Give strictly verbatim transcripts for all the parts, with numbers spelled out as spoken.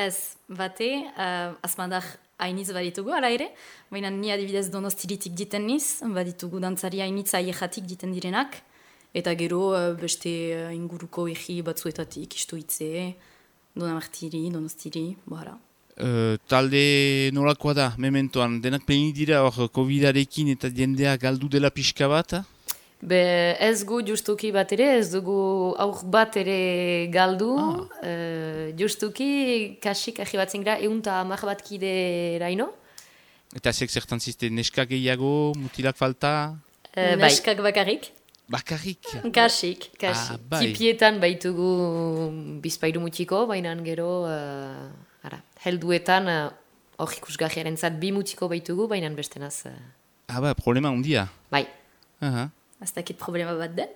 Ez, bate, uh, azmadak hainitz baditugu, ala ere, baina ni adibidez Donostiritik diten niz, baditugu dantzari hainitz aiejatik diten direnak, eta gero uh, beste uh, inguruko egi batzuetatik, Istuitze, Donamartiri, Donostiri, bohara. Uh, talde nolakoa da, mementoan, denak peini dira hor covidarekin eta jendea galdu dela pixka bat? Be ez gu justuki bat ere, ez dugu aur bat ere galdu, ah. uh, justuki kasik ahi bat zingra egun eta hamar bat kide raino. Eta zek zertan ziste, neskak gehiago, mutilak falta? Uh, neskak bai. Bakarrik. Bakarrik? Kasik, kasik. Ah, bai. Tipietan baitugu bizpairu mutiko, baina gero, uh, ara, helduetan hor uh, ikusgahiaren zat bi mutiko baitugu, baina bestenaz. Uh... Ah, ba, problema ondia. Bai. Aha. Ez dakit problema bat den.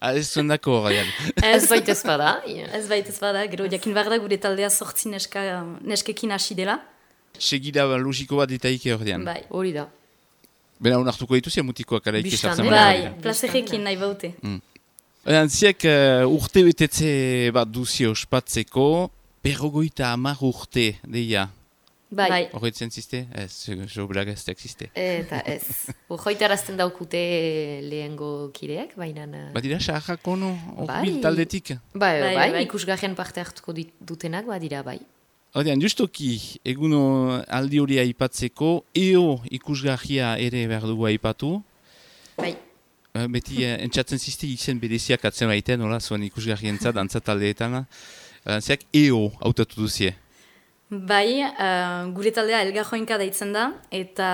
Ez zuen dako horrean. Ez baita ez bada. Ez baita ez bada, gero jakin behar da gure taldea sortzi neska, neskekin hasi dela. Segida logiko bat ditaike horrean. Bai. Hori da. Bena unartuko dituzia mutikoak araik esartzen. Bai, plazerekin nahi baute. Mm. Ziek uh, urte betetze bat duzio ospatzeko, berrogoita hamar urte deia. Bai. Horretzen ziste? Ez, jo blagazteak ziste. Eta ez. Horroitarazten daukute lehengo kideak, baina... Badira, saharrak ono, bai. Taldetik? Bai, bai, bai, bai. Ikusgarrian parte hartuko dutenak, badira, bai. Horrean, justoki, eguno aldi hori aipatzeko, eo ikusgarria ere behar dugu aipatu. Bai. Beti, entzatzen ziste izen bereziak atzen baiten, nola, zuen ikusgarrientza, dantza taldeetan. Zeak, eo hautatu duzie. Bai, uh, gure taldea elgarroinka daitzen da, eta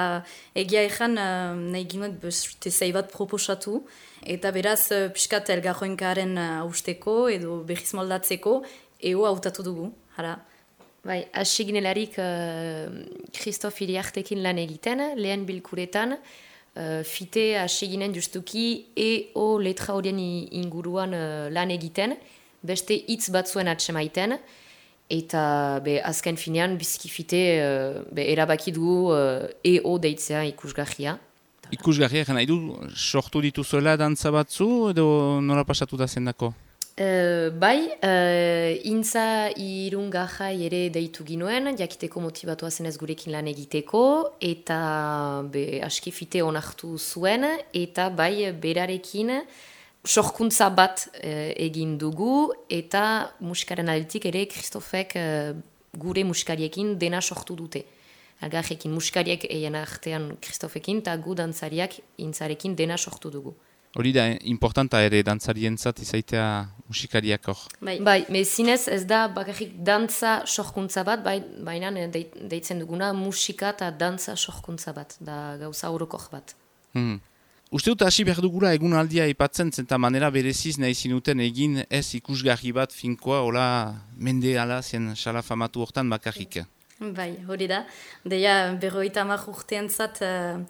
egia ezan uh, nahi ginuek beste zei bat proposatu, eta beraz uh, piskat elgarroinkaren uh, usteko edo behiz moldatzeko, eo hautatu dugu, hara. Bai, hasi ginelarik Christophe uh, Iriartekin lan egiten, lehen bilkuretan, uh, fite hasi ginen justuki eo letra horien inguruan uh, lan egiten, beste hitz batzuen atsemaiten, eta be, azken finean bizkifite uh, erabaki dugu uh, eo deitzea ikusgarria. Ikusgarria, nahi du, sortu dituzuela dantza batzu edo nola pasatu da zendako? Uh, bai, uh, intza irungajai ere deitu ginuen, jakiteko motibatua zenez gurekin lan egiteko, eta be, askifite onartu zuen, eta bai berarekin sorkuntza bat eh, egin dugu, eta musikaren aldetik ere Kristofek eh, gure musikariekin dena sortu dute. Algarrekin musikariek eien artean Kristofekin, eta gu dantzariak intzarekin dena sortu dugu. Hori da, importanta ere dantzarientzat izaitea musikariak hor. Bai, bai mezinez ez da bakarrik dantza sorkuntza bat, bai, baina deitzen duguna musika eta dantza sorkuntza bat, da gauza orokor bat. Hmm. Uste dut hasi behar dugula egun aldia ipatzen zenta manera bereziz nahi zinuten egin ez ikusgarri bat finkoa, hola mende ala zen xala famatu hortan bakarrik. Bai, hori da. Deia berroita hamar urtean zat, uh,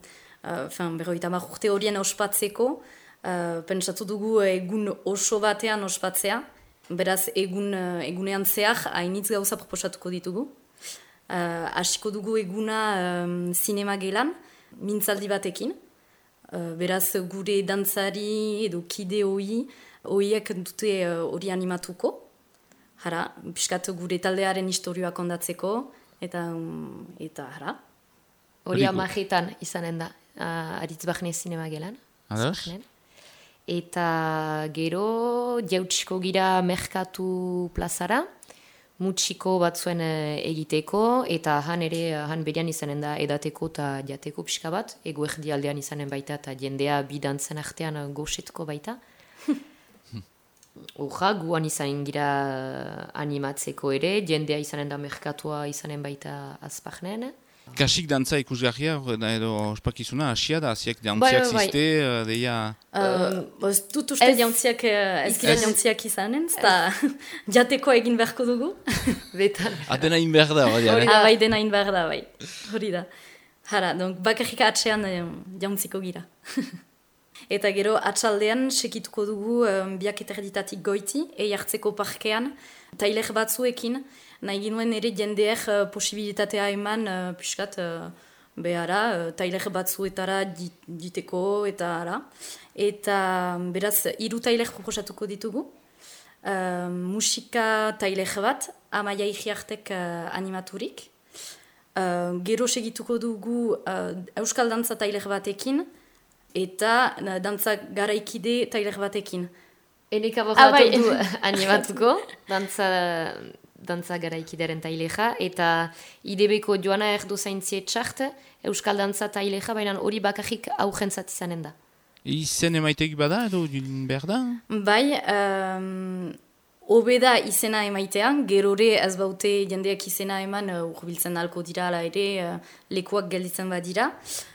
uh, berroita hamar urte horien ospatzeko, uh, pentsatu dugu egun oso batean ospatzea, beraz egun, uh, egunean zehar hainitz gauza proposatuko ditugu. Uh, hasiko dugu eguna um, zinema gelan, mintzaldi batekin. Uh, beraz, gure dantzari edo kide hoi, hoiek dute hori uh, animatuko. Hara, piskat gure taldearen historioa kondatzeko, eta, um, eta hara. Hori amajetan izanen da, uh, Aritz Bahne zinema gelan. Eta gero, jautsiko gira merkatu plazara, mutxiko batzuen egiteko, eta han ere, han berian izanen da edateko eta jateko pixka bat, ego erdi aldean izanen baita, eta jendea bidantzen artean goxetko baita. Horra, guan izanen gira animatzeko ere, jendea izanen da merkatua izanen baita azpahnen. Kasik dantza ikusgarria, edo ospakizuna, asia da, aziak jantziak ziste, deia... Ez dut uste jantziak, ez gira jantziak izanen, eta jateko egin beharko dugu. Betan. Adena in behar da, hori da. Bai, dena in behar da, bai. Hori da. Hara, bakarrik atxean jantziko gira. Eta gero, atxaldean, sekituko dugu um, biak eterditatik goiti, ei hartzeko parkean, tailer batzuekin, nahi ginuen ere jendeek uh, posibilitatea eman, uh, piskat, uh, behara, uh, tailer batzuetara dit, diteko, eta ara. Eta beraz, hiru tailer proposatuko ditugu. uh, musika tailer bat, Amaia Igiartek uh, animaturik. Uh, gero segituko dugu uh, Euskal Dantza tailer batekin, eta uh, dantza garaikide tailer batekin. Eleka borratu du animatuko, dantza, dantza garaikideren taileja, eta I D B-ko Joana Erdo zaintziet txart, Euskal Dantza taileja, baina hori bakarrik augentzat izanen da. Izen emaitegi bada edo behar da? Bai, um, obeda izena emaitea, gerore ez baute jendeak izena eman uh, urbiltzen alko dira ala ere uh, lekuak gelditzen badira.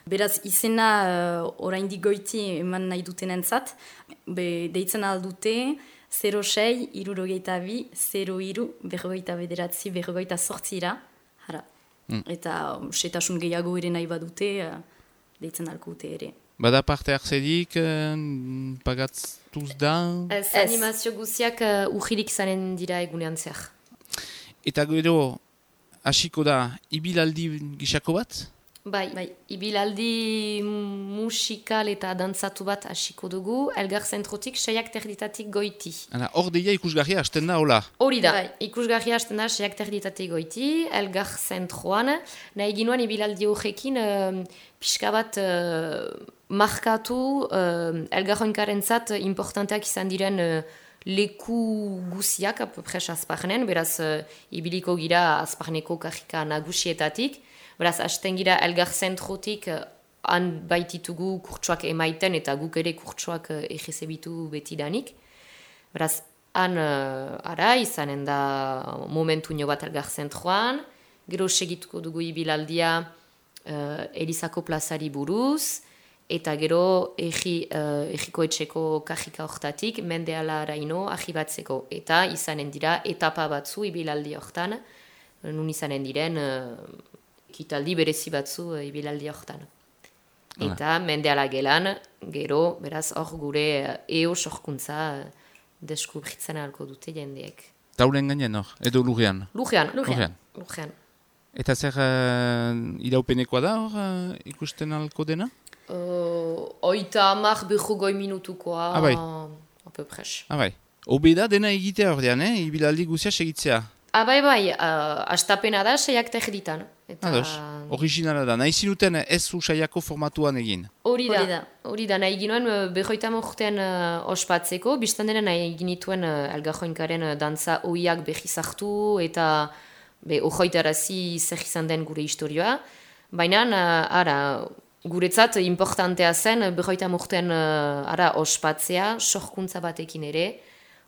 Beraz izena uh, oraindik goiti eman nahi duten entzat, be, deitzen aldute zero sei, irurogeita bi, zero iru, berrogeita bederatzi, berrogeita sortzira. Hara. Mm. Eta um, setasun gehiago ere nahi badute, uh, deitzen alko dute ere. Bada parte hartzedik, eh, pagatztuz da? Ez, animazio guziak uh, ujirik zanen dira egunean zehar. Eta gero, hasiko da, ibilaldi gisako bat? Bai, bai. Ibilaldi musikal eta dantzatu bat hasiko dugu, Elgar zentrotik, seiak terditatik goiti. Hala, hor deia ikusgarria hasten da, hola? Hori da, bai. Ikusgarria hasten da, seiak terditatik goiti, Elgar zentroan, nahi ginoan ibilaldi horrekin, uh, pixka bat uh, markatu, uh, Elgarroinkaren zat, importanteak izan diren uh, leku guziak, apopres azparnen, beraz, uh, ibiliko gira azparneko kajika nagusietatik, beraz, hasten gira Elgar zentrotik uh, han baititugu kurtsuak emaiten eta guk ere kurtsuak uh, egizebitu betidanik. Beraz, han uh, ara izanen da momentu nio bat Elgar zentroan, gero segituko dugu ibilaldia uh, Elizako plazari buruz, eta gero egi, uh, egiko etxeko kajika hortatik mendeala araino ahibatzeko. Eta izanen dira etapa batzu ibilaldi hortan, nun izanen diren uh, kitaldi berezi batzu uh, ibilaldi hortan. Eta mendeala gelan, gero, beraz, hor gure uh, eo sorkuntza uh, deskubritzen ahalko dute jendeek. Tauren gainen hor, edo lurrean? Lurrean, lurrean. lurrean. Eta zer uh, iraupenekoa da hor uh, ikusten ahalko dena? Uh, oita amak behugoi minutukoa, ah, bai. apopres. Ah, bai. Obeda dena egitea ordean, eh? Ibilaldi guzia segitzea. Ah, bai, bai, uh, astapena da seiak terditan. Eta... Ados, originala da. Nahi zinuten ez usaiako formatuan egin. Hori da, hori da. Nahi ginoen behoita morten uh, ospatzeko, biztan dena nahi ginituen uh, Elgarroinkaren uh, dantza oiak behizartu eta be, ohoitarazi zer izan den gure historioa. Baina, uh, ara, guretzat importantea zen behoita morten uh, ara ospatzea, sorkuntza batekin ere,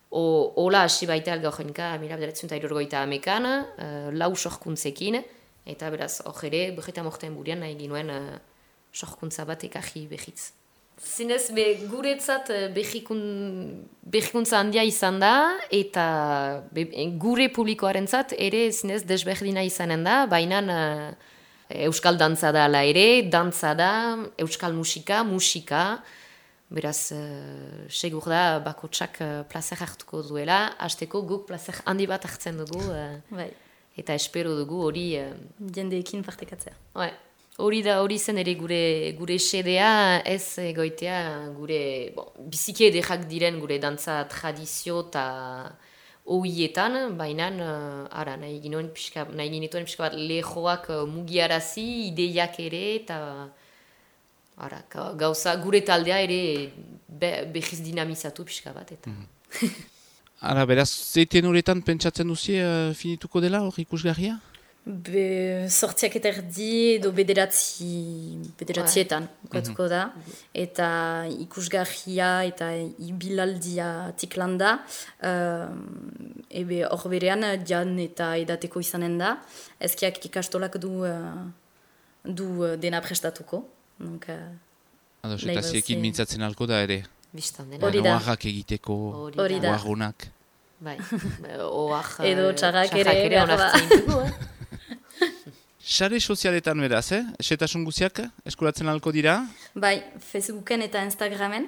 o, ola hasi baita Elgarroinka mila bederatziehun eta hirurogeita hamekan, uh, lau sorkuntzekin, eta beraz, hor ere, behoita morten burian nahi ginuen uh, sorkuntza bat ekaji behitz. Zinez, be, guretzat behikun, behikuntza handia izan da, eta be, gure publikoarentzat ere zinez desberdina izanen da, baina uh, Euskal dantza da ala ere, dantza da, Euskal musika, musika, beraz, uh, segur da, bakotsak uh, plazer hartuko duela, hasteko guk plazer handi bat hartzen dugu, uh, bai. Eta espero dugu hori... Uh, jendeekin partekatzea. Bai. Hori da, hori zen ere gure, gure sedea, ez egoitea gure, bon, biziki edekak diren gure dantza tradizio eta oietan, baina uh, ara, nahi ginuen pixka, nahi ginituen pixka bat lehoak uh, mugiarazi, ideiak ere, eta ara, gauza gure taldea ere be, behiz dinamizatu pixka bat. Eta. Mm. Ara, beraz, zeiten horretan pentsatzen duzie uh, finituko dela hor ikusgarria? Be, sortziak eta erdi edo bederatzi, bederatzietan bukatuko da. Eta ikusgarria eta ibilaldia tiklanda. Uh, ebe hor berean jan eta edateko izanen da. Ezkiak ikastolak du, uh, du dena prestatuko. Donc, uh, Ados, eta ziekin mintzatzen alko da ere. Bistan dena. Hori da. Oarrak egiteko, oarrunak. Bai, oar... Edo txarrak ere. ere onartzen dugu, eh? Sare sozialetan beraz, eh? Esetasun guziak eskuratzen alko dira? Bai, Facebooken eta Instagramen.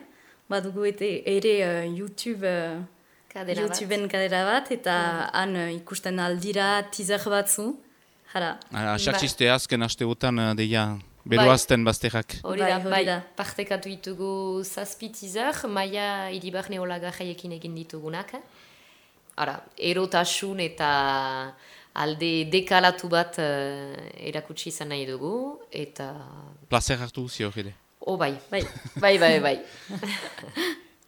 Badugu ete, ere uh, YouTube, uh, kadera YouTubeen bat. kadera bat, eta han uh, ikusten aldira teaser batzu. Jara. Ara, sartxiste azken asteotan uh, deia beroazten bazterrak. Hori da, bai, partekatu ditugu zazpi teaser, Maia Iribarne Olagarraiekin egin ditugunak. ara, erotasun eta alde dekalatu bat uh, erakutsi izan nahi dugu, eta... Plazer hartu zio ere. Oh, bai, bai, bai, bai, bai.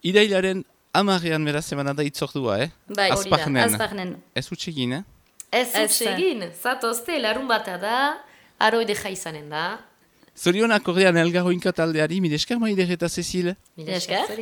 Irailaren amarrean beraz emana da itzordua, eh? Bai, hori da, azparnen. Ez utxegin, eh? Ez utxegin, zatozte, larun bata da, aroide jaizanen da. Zorionak ordean elgarroinka taldeari, mide esker maide eta Cecil. Mide esker.